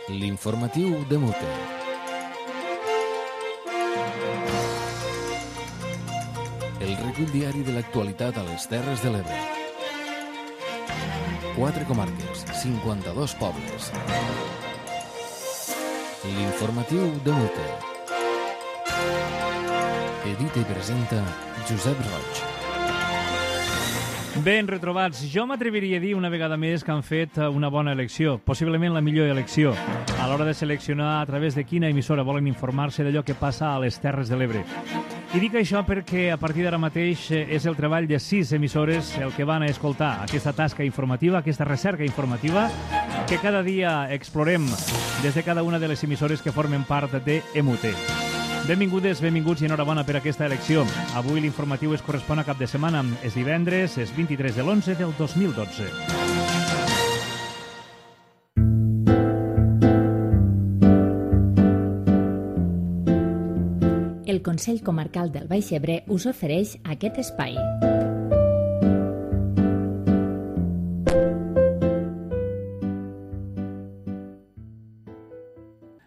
L'informatiu de Mute. El recull diari de l'actualitat a les Terres de l'Ebre. 4 comarques, 52 pobles. L'informatiu de Mute. Edita i presenta Josep Roig. Ben retrobats. Jo m'atreviria a dir una vegada més que han fet una bona elecció, possiblement la millor elecció, a l'hora de seleccionar a través de quina emissora volen informar-se d'allò que passa a les Terres de l'Ebre. I dic això perquè a partir d'ara mateix és el treball de 6 emissores el que van a escoltar aquesta tasca informativa, aquesta recerca informativa que cada dia explorem des de cada una de les emissores que formen part de EMUT. Benvingudes, benvinguts i enhorabona per aquesta elecció. Avui l'informatiu es correspon a cap de setmana. És divendres, és 23 de l'11 del 2012. El Consell Comarcal del Baix Ebre us ofereix aquest espai.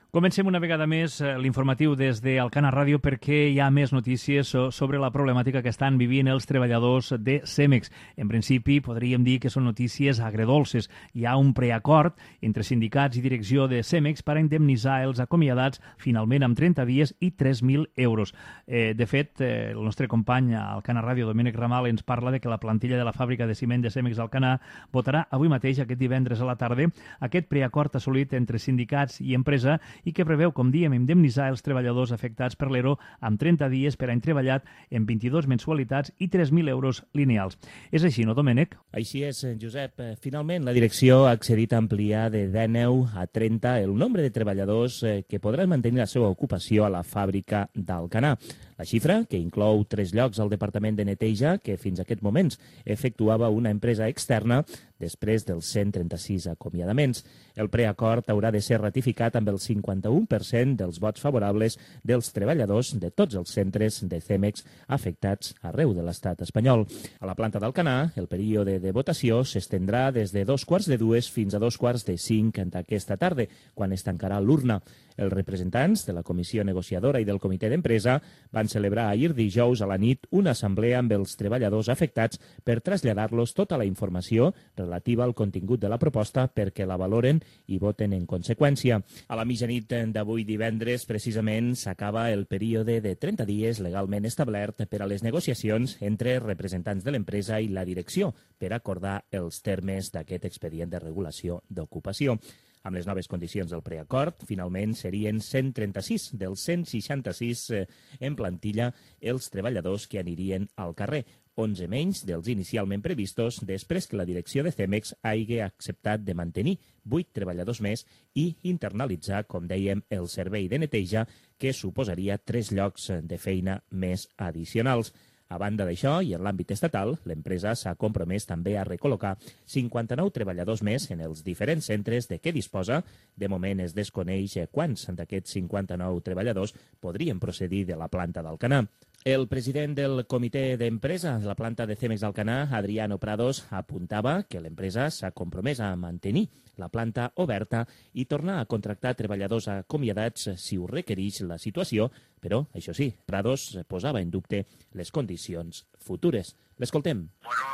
Comencem una vegada més l'informatiu des d'Alcana Ràdio perquè hi ha més notícies sobre la problemàtica que estan vivint els treballadors de Cemex. En principi, podríem dir que són notícies agredolces. Hi ha un preacord entre sindicats i direcció de Cemex per a indemnitzar els acomiadats finalment amb 30 dies i 3.000 euros. De fet, el nostre company a Alcana Ràdio, Domènec Ramal, ens parla de que la plantilla de la fàbrica de ciment de Cemex d'Alcanar votarà avui mateix, aquest divendres a la tarda, aquest preacord assolit entre sindicats i empresa i que preveu, com diem, indemnitzar els treballadors afectats per l'ERO amb 30 dies per any treballat en 22 mensualitats i 3.000 euros lineals. És així, no, Domènec? Així és, Josep. Finalment, la direcció ha accedit a ampliar de 19 a 30 el nombre de treballadors que podran mantenir la seva ocupació a la fàbrica d'Alcanar. La xifra, que inclou 3 llocs al Departament de Neteja, que fins a aquests moments efectuava una empresa externa després dels 136 acomiadaments. El preacord haurà de ser ratificat amb el 51% dels vots favorables dels treballadors de tots els centres de Cemex afectats arreu de l'estat espanyol. A la planta d'Alcanar, el període de votació s'estendrà des de 2:45 fins a 2:45 d'aquesta tarda, quan es tancarà l'urna. Els representants de la comissió negociadora i del comitè d'empresa van celebrar ahir dijous a la nit una assemblea amb els treballadors afectats per traslladar-los tota la informació relativa al contingut de la proposta perquè la valoren i voten en conseqüència. A la mitjanit d'avui divendres, precisament, s'acaba el període de 30 dies legalment establert per a les negociacions entre representants de l'empresa i la direcció per acordar els termes d'aquest expedient de regulació d'ocupació. Amb les noves condicions del preacord, finalment serien 136 dels 166 en plantilla els treballadors que anirien al carrer, 11 menys dels inicialment previstos després que la direcció de Cemex hagi acceptat de mantenir 8 treballadors més i internalitzar, com dèiem, el servei de neteja, que suposaria 3 llocs de feina més addicionals. A banda d'això, i en l'àmbit estatal, l'empresa s'ha compromès també a recol·locar 59 treballadors més en els diferents centres de què disposa. De moment es desconeix quants d'aquests 59 treballadors podrien procedir de la planta d'Alcanar. El president del comitè d'empresa de la planta de Cemex d'Alcanar, Adriano Prados, apuntava que l'empresa s'ha compromès a mantenir la planta oberta i tornar a contractar treballadors acomiadats si ho requereix la situació, però, això sí, Prados posava en dubte les condicions futures. L'escoltem. Bueno,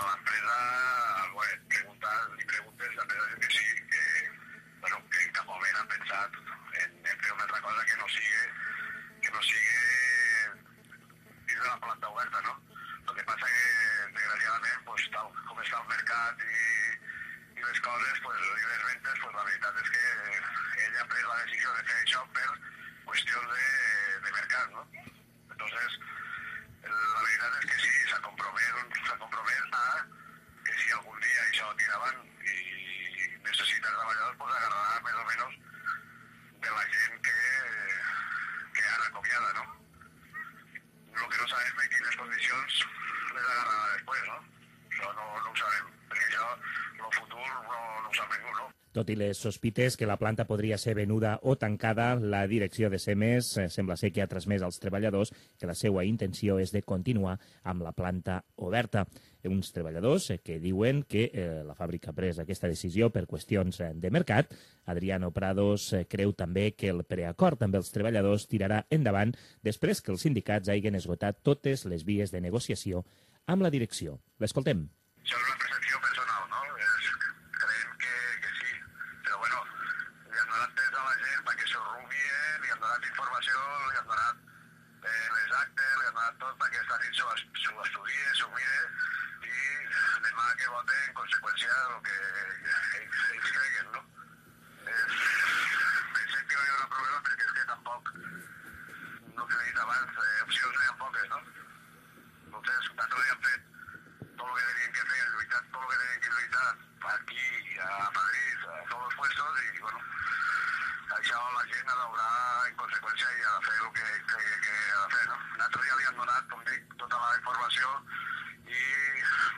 l'empresa, li preguntes, l'empresa diu que sí, que en cap moment han pensat en fer una altra cosa que no sigui dins de la planta oberta, no? El que passa que, desgraciadament, pues, tal com està el mercat i les coses, pues, i les ventes, pues, la veritat és que ella ha pres la decisió de fer això per qüestions de mercat, no? Entonces, la veritat és que sí, s'ha compromès a que si algun dia això tira avant i necessita treballadors, pues agarrarà més o menys de la gent que ara acomiada, no? Lo que no sabem en quines condicions les agarrarà després, no? Això no ho sabem, perquè això, el futur no ho sap ningú, no? Tot i les sospites que la planta podria ser venuda o tancada, la direcció de Cemex sembla ser que ha transmès als treballadors que la seva intenció és de continuar amb la planta oberta. uns treballadors que diuen que la fàbrica ha pres aquesta decisió per qüestions de mercat. Adriano Prados creu també que el preacord amb els treballadors tirarà endavant després que els sindicats hagin esgotat totes les vies de negociació amb la direcció. L'escoltem. Això és una percepció personal, no? Creiem que sí, però bueno, li han donat temps a la gent perquè s'ho rubien, li han donat informació, li han donat les actes, li han donat tot perquè esta nit s'ho estudie, s'ho mire i demà que vote en conseqüència del que ells creguen, no? Pensem que no hi haurà problema perquè és que tampoc, no que he dit abans, opcions n'hi ha poques, no? Entonces, nosaltres li han fet tot el que tenien que fer, lluitar tot el que tenien que lluitar aquí, a Madrid, a tots els puestos, i bueno, això la gent ha d'obrar en conseqüència i ha de fer el que cregui que ha de fer, no? Nosaltres ja li han donat, com dic, tota la informació i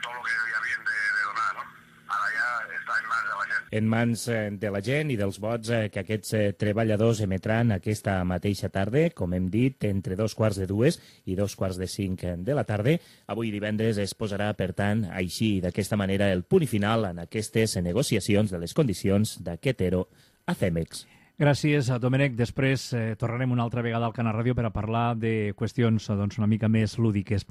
tot el que li havien de donar, no? Ara ja està en mans de la gent. En mans de la gent i dels vots que aquests treballadors emetran aquesta mateixa tarda, com hem dit, entre 2:45 i 2:45 de la tarda. Avui divendres es posarà, per tant, així d'aquesta manera el punt final en aquestes negociacions de les condicions d'aquest ERO a Cemex. Gràcies, Domènec. Després tornarem una altra vegada al Canal Ràdio per a parlar de qüestions una mica més lúdiques.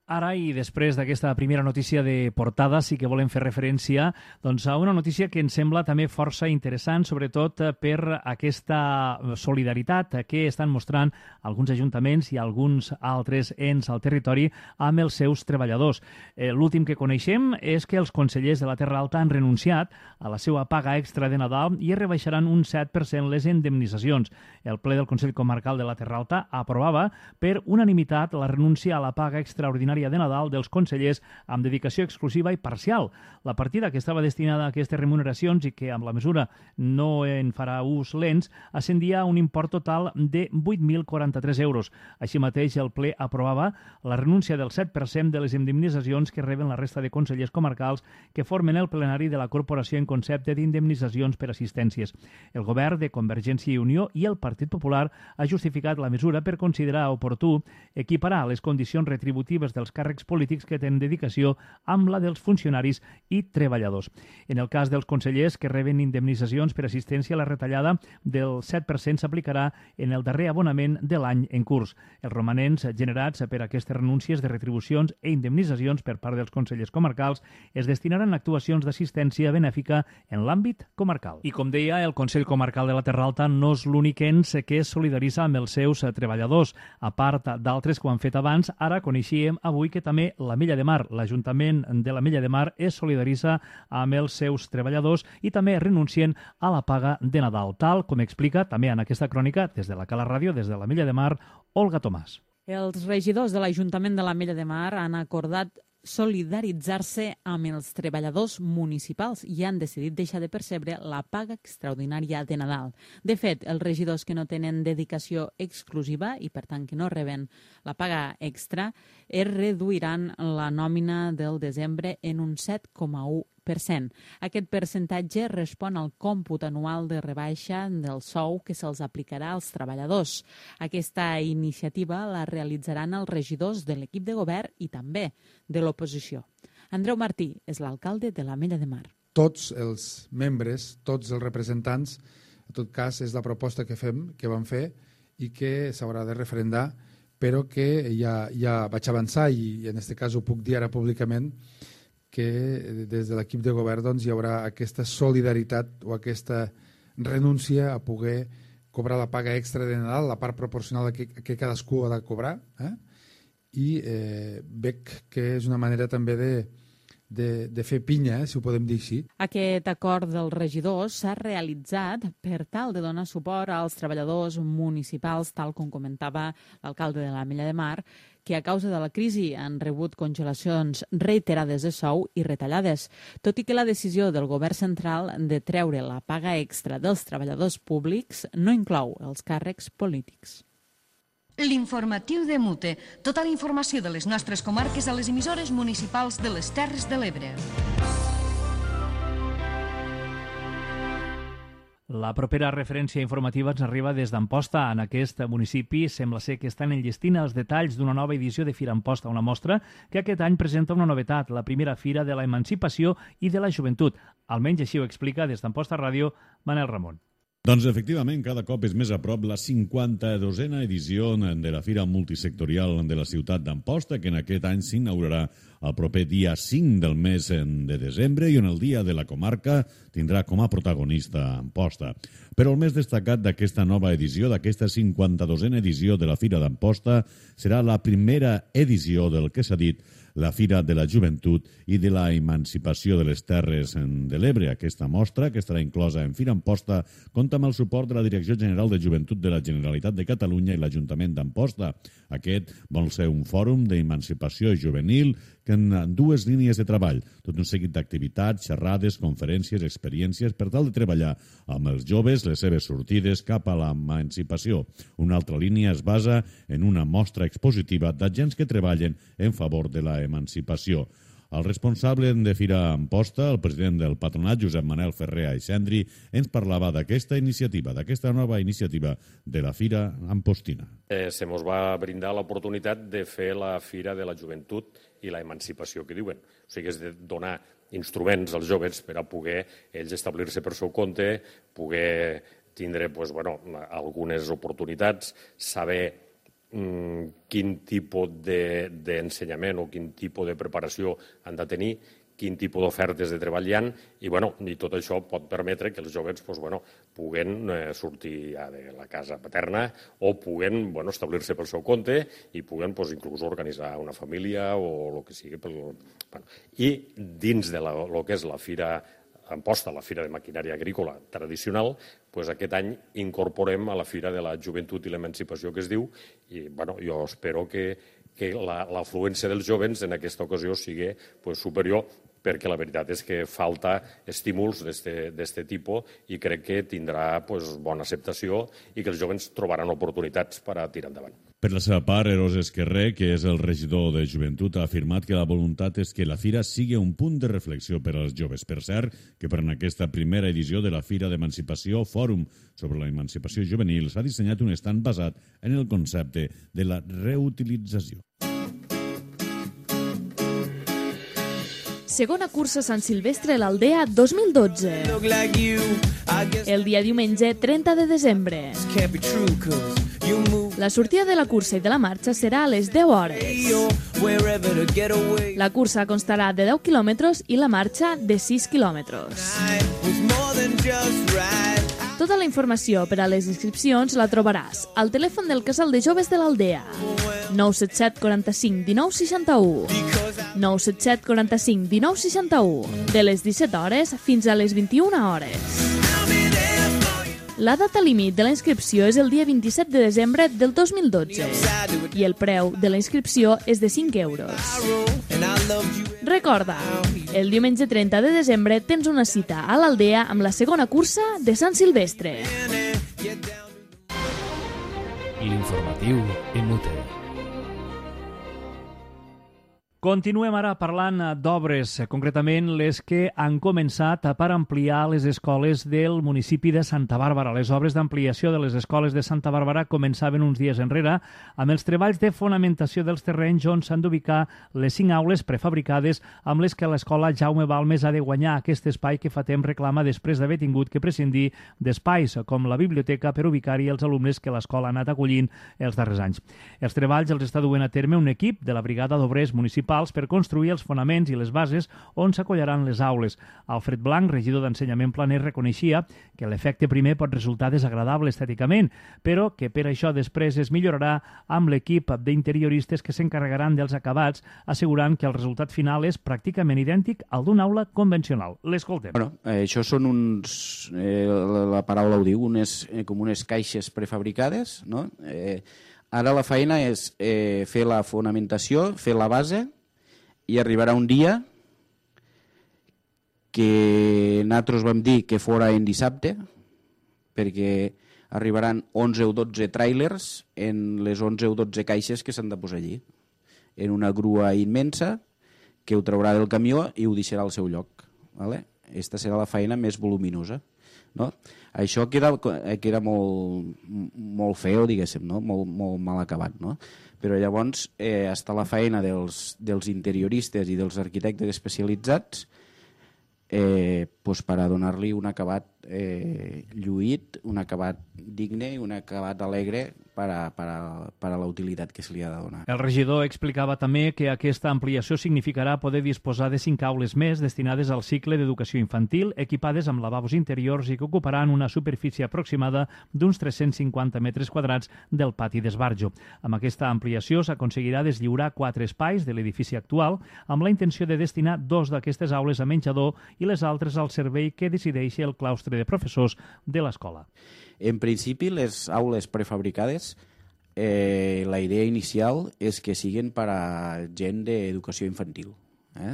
Ara, i després d'aquesta primera notícia de portada, sí que volem fer referència a una notícia que ens sembla també força interessant, sobretot per aquesta solidaritat que estan mostrant alguns ajuntaments i alguns altres ens al territori amb els seus treballadors. L'últim que coneixem és que els consellers de la Terra Alta han renunciat a la seva paga extra de Nadal i es rebaixaran un 7% les indemnitzacions. El ple del Consell Comarcal de la Terra Alta aprovava per unanimitat la renúncia a la paga extraordinària de Nadal dels consellers amb dedicació exclusiva i parcial. La partida que estava destinada a aquestes remuneracions i que amb la mesura no en farà ús l'ENS ascendia a un import total de 8.043 euros. Així mateix, el ple aprovava la renúncia del 7% de les indemnitzacions que reben la resta de consellers comarcals que formen el plenari de la corporació en concepte d'indemnitzacions per assistències. El govern de Convergència i Unió i el Partit Popular ha justificat la mesura per considerar oportú equiparar les condicions retributives dels càrrecs polítics que tenen dedicació amb la dels funcionaris i treballadors. En el cas dels consellers que reben indemnitzacions per assistència, la retallada del 7% s'aplicarà en el darrer abonament de l'any en curs. Els romanents generats per aquestes renúncies de retribucions i indemnitzacions per part dels consellers comarcals es destinaran a actuacions d'assistència benèfica en l'àmbit comarcal. I com deia, el Consell Comarcal de la Terra Alta no és l'únic ens que es solidaritza amb els seus treballadors. A part d'altres que ho han fet abans, ara coneixíem avui que també l'Ametlla de Mar, l'Ajuntament de l'Ametlla de Mar, es solidaritza amb els seus treballadors i també renuncien a la paga de Nadal, tal com explica també en aquesta crònica des de la Cala Ràdio, des de l'Ametlla de Mar, Olga Tomàs. Els regidors de l'Ajuntament de l'Ametlla de Mar han acordat solidaritzar-se amb els treballadors municipals i han decidit deixar de percebre la paga extraordinària de Nadal. De fet, els regidors que no tenen dedicació exclusiva i, per tant, que no reben la paga extra, es reduiran la nòmina del desembre en un 7,1%. Aquest percentatge respon al còmput anual de rebaixa del sou que se'ls aplicarà als treballadors. Aquesta iniciativa la realitzaran els regidors de l'equip de govern i també de l'oposició. Andreu Martí és l'alcalde de l'Ametlla de Mar. Tots els membres, tots els representants, en tot cas és la proposta que vam fer i que s'haurà de referendar, però que ja vaig avançar i en aquest cas ho puc dir ara públicament, que des de l'equip de govern hi haurà aquesta solidaritat o aquesta renúncia a poder cobrar la paga extra de Nadal, la part proporcional que cadascú ha de cobrar, i veig que és una manera també de fer pinya, si ho podem dir així. Aquest acord dels regidors s'ha realitzat per tal de donar suport als treballadors municipals, tal com comentava l'alcalde de l'Ametlla de Mar, que a causa de la crisi han rebut congelacions reiterades de sou i retallades, tot i que la decisió del govern central de treure la paga extra dels treballadors públics no inclou els càrrecs polítics. L'informatiu de Mute. Tota la informació de les nostres comarques a les emissores municipals de les Terres de l'Ebre. La propera referència informativa ens arriba des d'Amposta. En aquest municipi sembla ser que estan enllestint els detalls d'una nova edició de Fira Amposta, una mostra que aquest any presenta una novetat, la primera Fira de la Emancipació i de la Joventut. Almenys així ho explica des d'Amposta Ràdio Manel Ramon. Doncs efectivament, cada cop és més a prop la 52a edició de la Fira Multisectorial de la ciutat d'Amposta, que en aquest any s'inaugurarà el proper dia 5 del mes de desembre i on el Dia de la Comarca tindrà com a protagonista Amposta. Però el més destacat d'aquesta nova edició, d'aquesta 52a edició de la Fira d'Amposta, serà la primera edició del que s'ha dit la Fira de la Joventut i de la Emancipació de les Terres de l'Ebre. Aquesta mostra, que estarà inclosa en Fira Amposta, compta amb el suport de la Direcció General de Joventut de la Generalitat de Catalunya i l'Ajuntament d'Amposta. Aquest vol ser un fòrum d'emancipació juvenil que en dues línies de treball, tot un seguit d'activitats, xerrades, conferències, experiències per tal de treballar amb els joves les seves sortides cap a l'emancipació. Una altra línia es basa en una mostra expositiva d'agents que treballen en favor de la emancipació. El responsable de Fira Amposta, el president del patronat, Josep Manel Ferrer Aixendri, ens parlava d'aquesta iniciativa, d'aquesta nova iniciativa de la Fira Ampostina. Se mos va brindar l'oportunitat de fer la Fira de la Joventut i la Emancipació, que diuen. O sigui, és de donar instruments als joves per a poder ells establir-se per seu compte, poder tindre algunes oportunitats, saber quin tipus d'ensenyament o quin tipus de preparació han de tenir, quin tipus d'ofertes de treball hi ha, i tot això pot permetre que els joves puguen sortir de la casa paterna o puguen establir-se pel seu compte i puguen inclús organitzar una família o el que sigui. I dins de lo que és la Fira Amposta, la Fira de Maquinària Agrícola tradicional, aquest any incorporem a la Fira de la Joventut i l'Emancipació, que es diu, i jo espero que l'afluència dels joves en aquesta ocasió sigui superior, perquè la veritat és que falta estímuls d'aquest tipus i crec que tindrà bona acceptació i que els joves trobaran oportunitats per a tirar endavant. Per la seva part, Eros Esquerrer, que és el regidor de Joventut, ha afirmat que la voluntat és que la Fira sigui un punt de reflexió per als joves. Per cert, que per en aquesta primera edició de la Fira d'Emancipació, Fòrum sobre la Emancipació Juvenil, s'ha dissenyat un estand basat en el concepte de la reutilització. Segona cursa Sant Silvestre a l'Aldea 2012. El dia diumenge 30 de desembre. La sortida de la cursa i de la marxa serà a les 10 hores. La cursa constarà de 10 quilòmetres i la marxa de 6 quilòmetres. Tota la informació per a les inscripcions la trobaràs al telèfon del Casal de Joves de l'Aldea, 977 45 19 61. 977 45 19 61, de les 17 hores fins a les 21 hores. La data límit de la inscripció és el dia 27 de desembre del 2012 i el preu de la inscripció és de 5 euros. Recorda, el diumenge 30 de desembre tens una cita a l'Aldea amb la segona cursa de Sant Silvestre. L'informatiu Imute. Continuem ara parlant d'obres, concretament les que han començat per ampliar les escoles del municipi de Santa Bàrbara. Les obres d'ampliació de les escoles de Santa Bàrbara començaven uns dies enrere amb els treballs de fonamentació dels terrenys on s'han d'ubicar les 5 aules prefabricades amb les que l'escola Jaume Balmes ha de guanyar aquest espai que fa temps reclama després d'haver tingut que prescindir d'espais com la biblioteca per ubicar-hi els alumnes que l'escola ha anat acollint els darrers anys. Els treballs els està duent a terme un equip de la Brigada d'Obrers Municipals per construir els fonaments i les bases on s'acollaran les aules. Alfred Blanc, regidor d'Ensenyament Planer, reconeixia que l'efecte primer pot resultar desagradable estèticament, però que per això després es millorarà amb l'equip d'interioristes que s'encarregaran dels acabats, assegurant que el resultat final és pràcticament idèntic al d'una aula convencional. L'escoltem. Això són uns, la paraula ho diu, com unes caixes prefabricades, no? Ara la feina és fer la fonamentació, fer la base, i arribarà un dia que nosaltres vam dir que fora en dissabte, perquè arribaran 11 o 12 tràilers en les 11 o 12 caixes que s'han de posar allí, en una grua immensa que ho traurà del camió i ho deixarà al seu lloc. Vale? Aquesta serà la feina més voluminosa. No? Això que era molt feo, diguéssim, no? molt mal acabat. No? Però llavors està la feina dels interioristes i dels arquitectes especialitzats per a donar-li un acabat lluït, un acabat digne i un acabat alegre per a la utilitat que se li ha de donar. El regidor explicava també que aquesta ampliació significarà poder disposar de 5 aules més destinades al cicle d'educació infantil, equipades amb lavabos interiors i que ocuparan una superfície aproximada d'uns 350 metres quadrats del pati d'esbarjo. Amb aquesta ampliació s'aconseguirà deslliurar 4 espais de l'edifici actual amb la intenció de destinar 2 d'aquestes aules a menjador i les altres al servei que decideixi el claustre de professors de l'escola. En principi, les aules prefabricades, la idea inicial és que siguin per a gent d'educació infantil,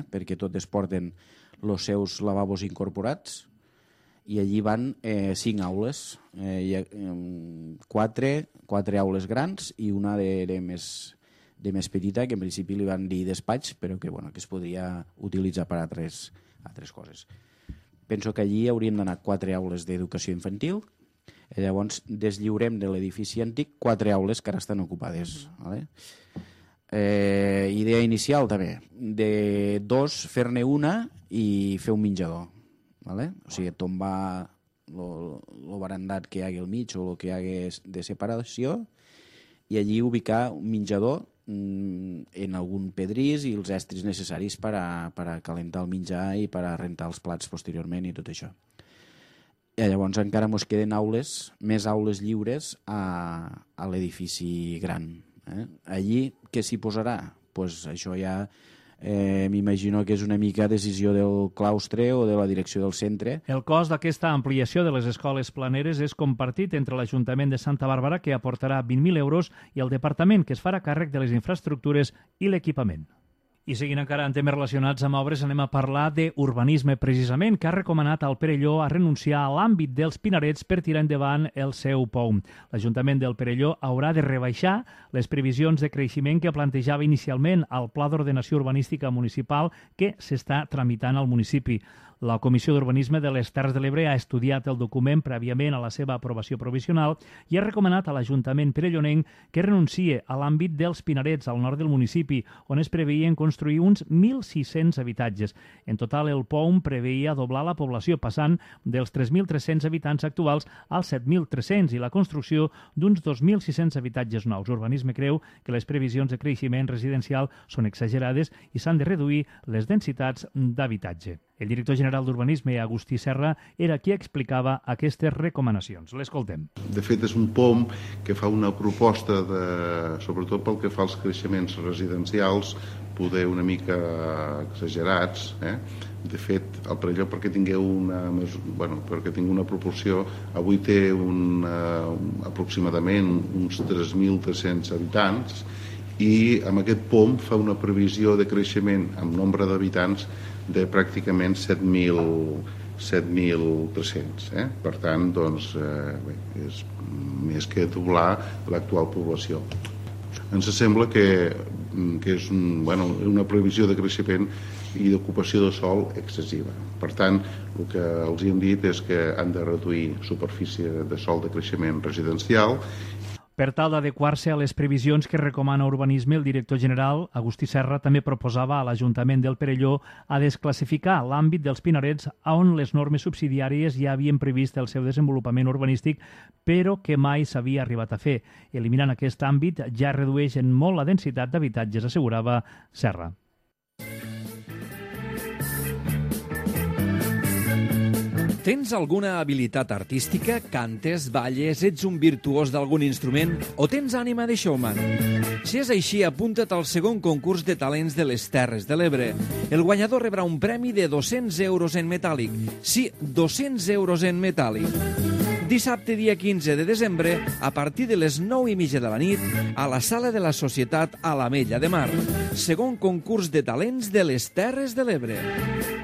perquè totes porten els seus lavabos incorporats i allí van 5 aules, 4 aules grans i una de més petita, que en principi li van dir despatx, però que es podria utilitzar per a altres coses. Penso que allí haurien d'anar 4 aules d'educació infantil i llavors deslliurem de l'edifici antic 4 aules que ara estan ocupades. Vale? Idea inicial també, de 2 fer-ne una i fer un menjador. Vale? O sigui, tombar el barandat que hi hagi al mig o el que hi hagi de separació i allí ubicar un menjador en algun pedrís i els estris necessaris per a calentar el menjar i per a rentar els plats posteriorment i tot això. I llavors encara ens queden més aules lliures a l'edifici gran. Allí què s'hi posarà? Pues això ja m'imagino que és una mica decisió del claustre o de la direcció del centre. El cost d'aquesta ampliació de les escoles planeres és compartit entre l'Ajuntament de Santa Bàrbara, que aportarà 20.000 euros, i el Departament, que es farà càrrec de les infraestructures i l'equipament. I seguint encara en temes relacionats amb obres, anem a parlar d'urbanisme precisament, que ha recomanat al Perelló a renunciar a l'àmbit dels Pinarets per tirar endavant el seu POUM. L'Ajuntament del Perelló haurà de rebaixar les previsions de creixement que plantejava inicialment al Pla d'Ordenació Urbanística Municipal que s'està tramitant al municipi. La Comissió d'Urbanisme de les Terres de l'Ebre ha estudiat el document prèviament a la seva aprovació provisional i ha recomanat a l'Ajuntament perellonenc que renuncie a l'àmbit dels Pinarets al nord del municipi, on es preveien construir uns 1.600 habitatges. En total, el POUM preveia doblar la població, passant dels 3.300 habitants actuals als 7.300 i la construcció d'uns 2.600 habitatges nous. Urbanisme creu que les previsions de creixement residencial són exagerades i s'han de reduir les densitats d'habitatge. El director general d'Urbanisme, Agustí Serra, era qui explicava aquestes recomanacions. L'escoltem. De fet, és un POUM que fa una proposta, sobretot pel que fa als creixements residencials, poder una mica exagerats. De fet, el Perelló, perquè tingueu una proporció, avui té aproximadament uns 3.300 habitants i amb aquest POUM fa una previsió de creixement amb nombre d'habitants de pràcticament 7.300. Per tant, és més que doblar l'actual població. Ens sembla que és una previsió de creixement i d'ocupació de sòl excessiva. Per tant, el que els hem dit és que han de reduir superfície de sòl de creixement residencial. Per tal d'adequar-se a les previsions que recomana Urbanisme, el director general, Agustí Serra, també proposava a l'Ajuntament del Perelló a desclassificar l'àmbit dels Pinarets on les normes subsidiàries ja havien previst el seu desenvolupament urbanístic, però que mai s'havia arribat a fer. Eliminant aquest àmbit ja redueix en molt la densitat d'habitatges, assegurava Serra. Tens alguna habilitat artística? Cantes, balles, ets un virtuós d'algun instrument o tens ànima de showman? Si és així, apunta't al segon concurs de talents de les Terres de l'Ebre. El guanyador rebrà un premi de 200 euros en metàl·lic. Sí, 200 euros en metàl·lic. Dissabte, dia 15 de desembre, a partir de les 9:30 de la nit, a la Sala de la Societat a l'Ametlla de Mar. Segon concurs de talents de les Terres de l'Ebre.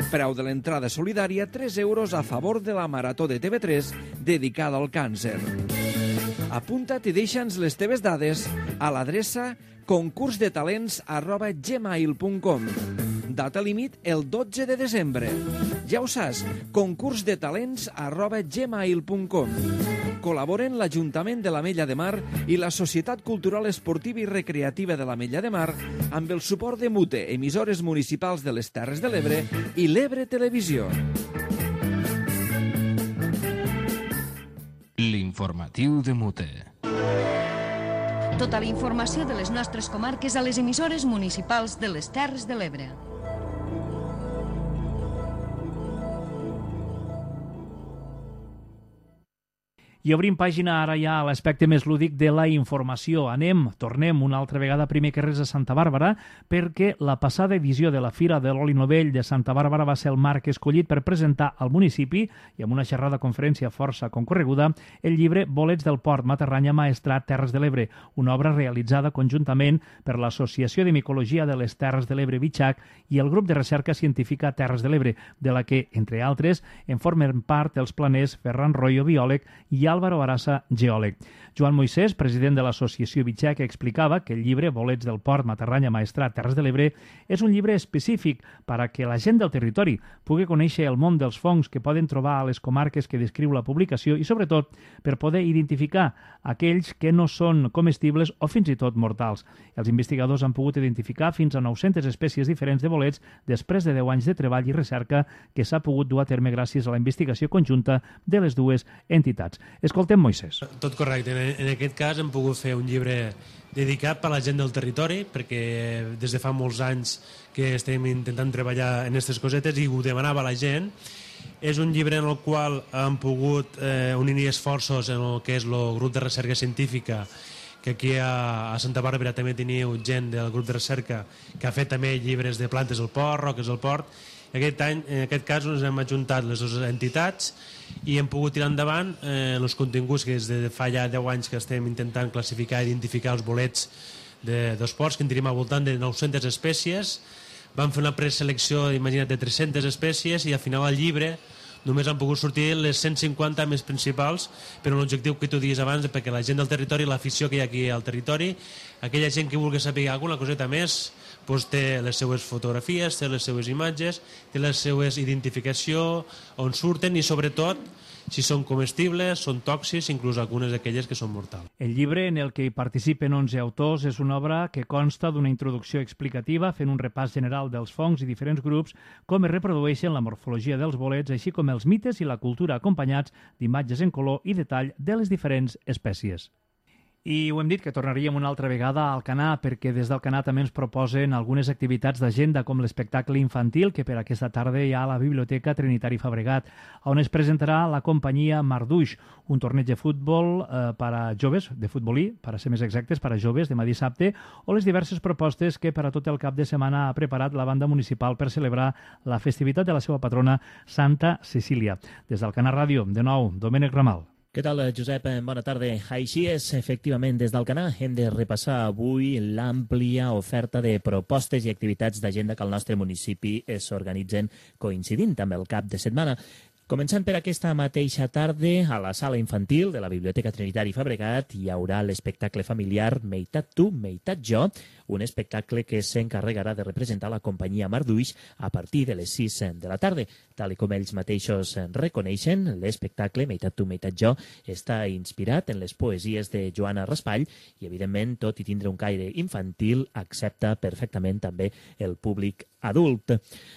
Preu de l'entrada solidària, 3 euros a favor de la Marató de TV3 dedicada al càncer. Apunta't i deixa'ns les teves dades a l'adreça concursdetalents@gmail.com. data límit el 12 de desembre. Ja ho saps, concursdetalents@gmail.com. Col·laboren l'Ajuntament de l'Ametlla de Mar i la Societat Cultural Esportiva i Recreativa de l'Ametlla de Mar amb el suport de MUTE, emissores municipals de les Terres de l'Ebre i l'Ebre Televisió. L'informatiu de MUTE. Tota la informació de les nostres comarques a les emissores municipals de les Terres de l'Ebre. I obrim pàgina ara ja a l'aspecte més lúdic de la informació. Tornem una altra vegada primer que res a Santa Bàrbara, perquè la passada edició de la Fira de l'Oli Novell de Santa Bàrbara va ser el marc escollit per presentar al municipi, i amb una xerrada conferència força concorreguda, el llibre Bolets del Port, Matarranya, Maestrat, Terres de l'Ebre, una obra realitzada conjuntament per l'Associació de Micologia de les Terres de l'Ebre, Bitxac, i el grup de recerca científica Terres de l'Ebre, de la que, entre altres, en formen part els planers Ferran Royo, biòleg, i Álvaro Arasa, geòleg. Joan Moisès, president de l'associació Bitxac, explicava que el llibre Bolets del Port, Matarranya, Maestrat, Terres de l'Ebre és un llibre específic per a que la gent del territori pugui conèixer el món dels fongs que poden trobar a les comarques que descriu la publicació i, sobretot, per poder identificar aquells que no són comestibles o fins i tot mortals. Els investigadors han pogut identificar fins a 900 espècies diferents de bolets després de 10 anys de treball i recerca que s'ha pogut dur a terme gràcies a la investigació conjunta de les dues entitats. Escoltem Moisès. Tot correcte. En aquest cas hem pogut fer un llibre dedicat per a la gent del territori, perquè des de fa molts anys que estem intentant treballar en aquestes cosetes i ho demanava la gent. És un llibre en el qual hem pogut unir esforços en el que és el grup de recerca científica, que aquí a Santa Bàrbara també teniu gent del grup de recerca que ha fet també llibres de plantes del port, roques del port. Aquest any, en aquest cas, ens hem ajuntat les dues entitats i hem pogut tirar endavant els continguts que des de fa ja 10 anys que estem intentant classificar i identificar els bolets dels ports, que en tenim al voltant de 900 espècies. Vam fer una preselecció, imagina't, de 300 espècies i al final al llibre només han pogut sortir les 150 més principals, però l'objectiu que tu dius abans, perquè la gent del territori, l'afició que hi ha aquí al territori, aquella gent que vulgui saber alguna coseta més, doncs té les seues fotografies, té les seues imatges, té les seues identificació, on surten i sobretot si són comestibles, són tòxics, inclús algunes d'aquelles que són mortals. El llibre, en el que hi participen 11 autors, és una obra que consta d'una introducció explicativa fent un repàs general dels fongs i diferents grups, com es reprodueixen la morfologia dels bolets, així com els mites i la cultura acompanyats d'imatges en color i detall de les diferents espècies. I ho hem dit, que tornaríem una altra vegada al Alcanar, perquè des del Alcanar també ens proposen algunes activitats d'agenda, com l'espectacle infantil, que per aquesta tarda hi ha a la Biblioteca Trinitari Fabregat, on es presentarà la companyia Marduix, un torneig de futbol per a joves, de futbolí, per a ser més exactes, per a joves, demà dissabte, o les diverses propostes que per a tot el cap de setmana ha preparat la banda municipal per celebrar la festivitat de la seva patrona, Santa Cecília. Des del Alcanar Ràdio, de nou, Domènec Ramal. Què tal, Josep? Bona tarda. Així és, efectivament, des d'Alcanar hem de repassar avui l'àmplia oferta de propostes i activitats d'agenda que al nostre municipi s'organitzen coincidint amb el cap de setmana. Començant per aquesta mateixa tarda, a la sala infantil de la Biblioteca Trinitari Fabregat hi haurà l'espectacle familiar Meitat tu, meitat jo, un espectacle que s'encarregarà de representar la companyia Marduix a partir de les 6 de la tarda. Tal com ells mateixos reconeixen, l'espectacle Meitat tu, meitat jo està inspirat en les poesies de Joana Raspall i, evidentment, tot i tindre un caire infantil, accepta perfectament també el públic adult.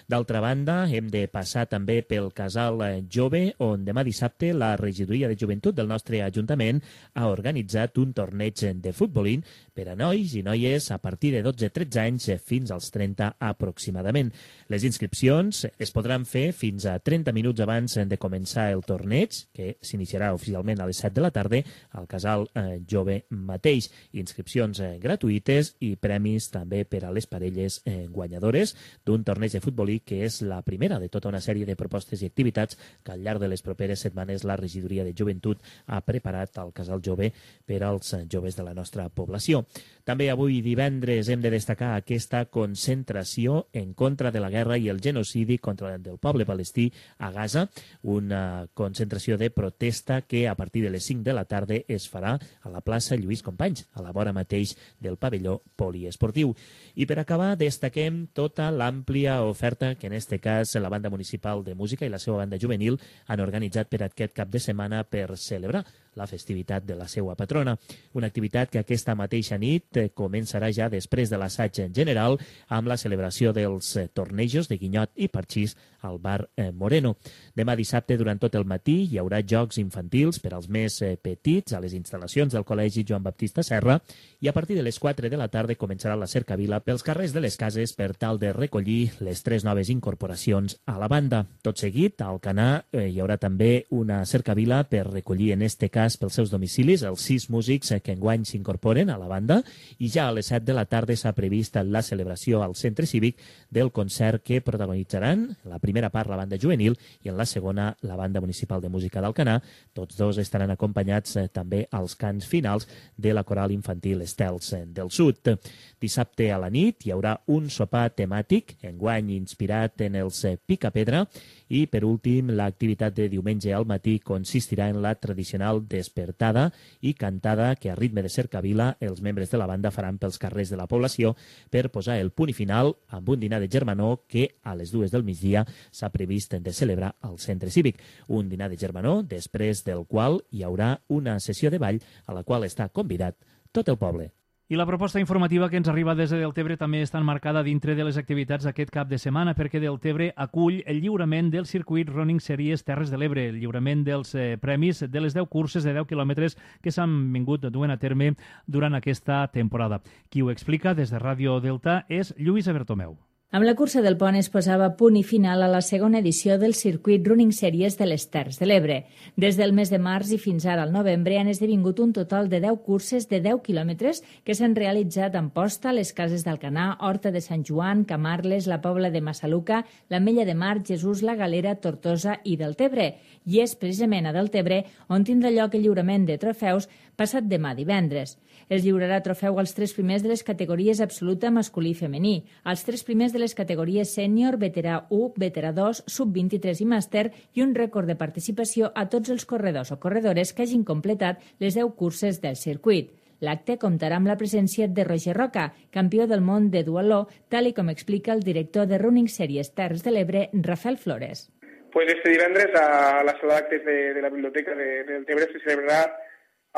D'altra banda, hem de passar també pel Casal Jove, on demà dissabte la Regidoria de Joventut del nostre Ajuntament ha organitzat un torneig de futbolín per a nois i noies a partir de 12-13 anys fins als 30 aproximadament. Les inscripcions es podran fer fins a 30 minuts abans de començar el torneig, que s'iniciarà oficialment a les 7 de la tarda al Casal Jove mateix. Inscripcions gratuïtes i premis també per a les parelles guanyadores d'un torneig de futbolí que és la primera de tota una sèrie de propostes i activitats que al llarg de les properes setmanes la Regidoria de Joventut ha preparat al Casal Jove per als joves de la nostra població. També avui divendres Després hem de destacar aquesta concentració en contra de la guerra i el genocidi contra el poble palestí a Gaza, una concentració de protesta que a partir de les 5 de la tarda es farà a la plaça Lluís Companys, a la vora mateix del pavelló poliesportiu. I per acabar, destaquem tota l'àmplia oferta que en este cas la banda municipal de música i la seva banda juvenil han organitzat per aquest cap de setmana per celebrar la festivitat de la seva patrona. Una activitat que aquesta mateixa nit començarà ja després de l'assaig en general amb la celebració dels tornejos de guinyot i parxís al bar Moreno. Demà dissabte, durant tot el matí, hi haurà jocs infantils per als més petits a les instal·lacions del Col·legi Joan Baptista Serra i a partir de les 4 de la tarda començarà la cercavila pels carrers de les cases per tal de recollir les 3 noves incorporacions a la banda. Tot seguit, a Alcanar hi haurà també una cercavila per recollir en este cas pels seus domicilis els 6 músics que enguany s'incorporen a la banda i ja a les 7 de la tarda s'ha previst la celebració al Centre Cívic del concert que protagonitzaran en la primera part la banda juvenil i en la segona la banda municipal de música d'Alcanar. Tots dos estaran acompanyats també als cants finals de la coral infantil Estels del Sud. Dissabte a la nit hi haurà un sopar temàtic, enguany inspirat en els Picapedra, i per últim l'activitat de diumenge al matí consistirà en la tradicional despertada i cantada que a ritme de cercavila els membres de la banda faran pels carrers de la població per posar el punt final amb un dinar de germanor que a les 2 del migdia s'ha previst de celebrar al Centre Cívic. Un dinar de germanor després del qual hi haurà una sessió de ball a la qual està convidat tot el poble. I la proposta informativa que ens arriba des de Deltebre també està enmarcada dintre de les activitats d'aquest cap de setmana perquè Deltebre acull el lliurament del circuit Running Series Terres de l'Ebre, el lliurament dels premis de les 10 curses de 10 quilòmetres que s'han vingut duent a terme durant aquesta temporada. Qui ho explica des de Ràdio Delta és Lluïsa Bertomeu. Amb la cursa del pont es posava punt i final a la segona edició del circuit Running Series de les Terres de l'Ebre. Des del mes de març i fins ara al novembre han esdevingut un total de 10 curses de 10 quilòmetres que s'han realitzat a Amposta, les Cases d'Alcanar, Horta de Sant Joan, Camarles, la Pobla de Massaluca, l'Ametlla de Mar, Jesús, la Galera, Tortosa i Deltebre. I és precisament a Deltebre on tindrà lloc el lliurament de trofeus passat demà divendres. Es lliurarà trofeu als 3 primers de les categories absoluta masculí i femení, als 3 primers de les categories sènior, veterà 1, veterà 2, sub-23 i màster i un rècord de participació a tots els corredors o corredores que hagin completat les 10 curses del circuit. L'acte comptarà amb la presència de Roger Roca, campió del món de duatló, tal i com explica el director de Running Series Terres de l'Ebre, Rafael Flores. Pues este divendres a la sala d'actes de la biblioteca de Deltebre se celebrarà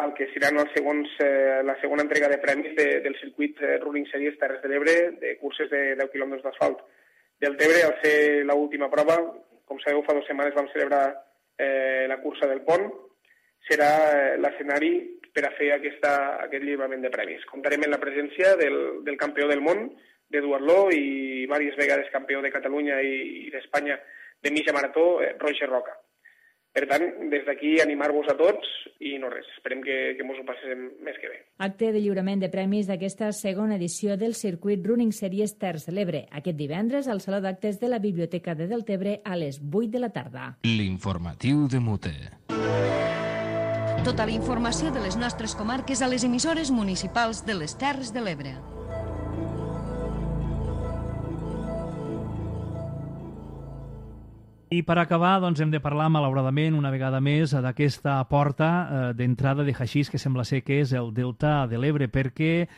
el que serà la segona entrega de premis del circuit Running Series Terres de l'Ebre de curses de 10 quilòmetres d'asfalt. Deltebre, al ser l'última prova, com sabeu, fa 2 setmanes vam celebrar la cursa del pont, serà l'escenari per a fer aquest lliurament de premis. Comptarem amb la presència del campió del món de duatló i diverses vegades campió de Catalunya i d'Espanya de mitja marató, Roger Roca. Per tant, des d'aquí animar-vos a tots i no res, esperem que mos ho passem més que bé. Acte de lliurament de premis d'aquesta segona edició del circuit Running Series Terres de l'Ebre, aquest divendres al Saló d'Actes de la Biblioteca de Deltebre a les 8 de la tarda. L'informatiu de Mute. Tota la informació de les nostres comarques a les emissores municipals de les Terres de l'Ebre. I per acabar, doncs, hem de parlar, malauradament, una vegada més, d'aquesta porta d'entrada de haixís que sembla ser que és el Delta de l'Ebre, perquè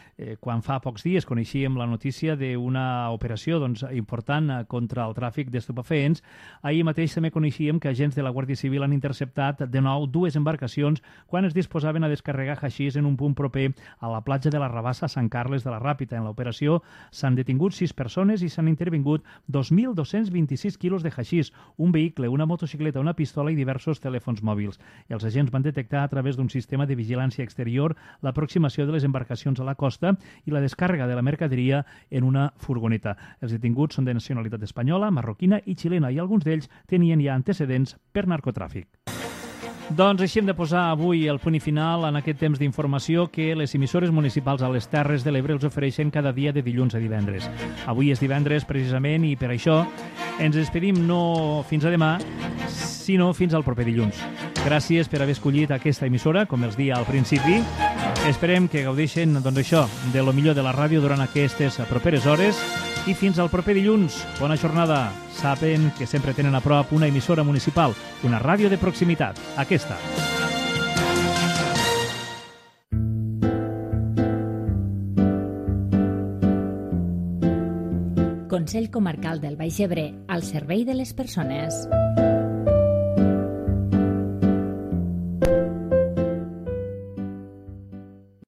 quan fa pocs dies coneixíem la notícia d'una operació important contra el tràfic d'estupefaents, ahir mateix també coneixíem que agents de la Guàrdia Civil han interceptat de nou 2 embarcacions quan es disposaven a descarregar haixís en un punt proper a la platja de la Rabassa a Sant Carles de la Ràpita. En l'operació s'han detingut 6 persones i s'han intervingut 2.226 quilos de haixís, un vehicle, una motocicleta, una pistola i diversos telèfons mòbils. Els agents van detectar a través d'un sistema de vigilància exterior l'aproximació de les embarcacions a la costa i la descàrrega de la mercaderia en una furgoneta. Els detinguts són de nacionalitat espanyola, marroquina i xilena i alguns d'ells tenien ja antecedents per narcotràfic. Doncs així hem de posar avui el punt i final en aquest temps d'informació que les emissores municipals a les Terres de l'Ebre els ofereixen cada dia de dilluns a divendres. Avui és divendres precisament i per això ens despedim no fins a demà, sinó fins al proper dilluns. Gràcies per haver escollit aquesta emissora, com els dia al principi. Esperem que gaudeixen, doncs això, de lo millor de la ràdio durant aquestes properes hores i fins al proper dilluns. Bona jornada. Saben que sempre tenen a prop una emissora municipal, una ràdio de proximitat, aquesta. Consell Comarcal del Baix Ebre, al servei de les persones.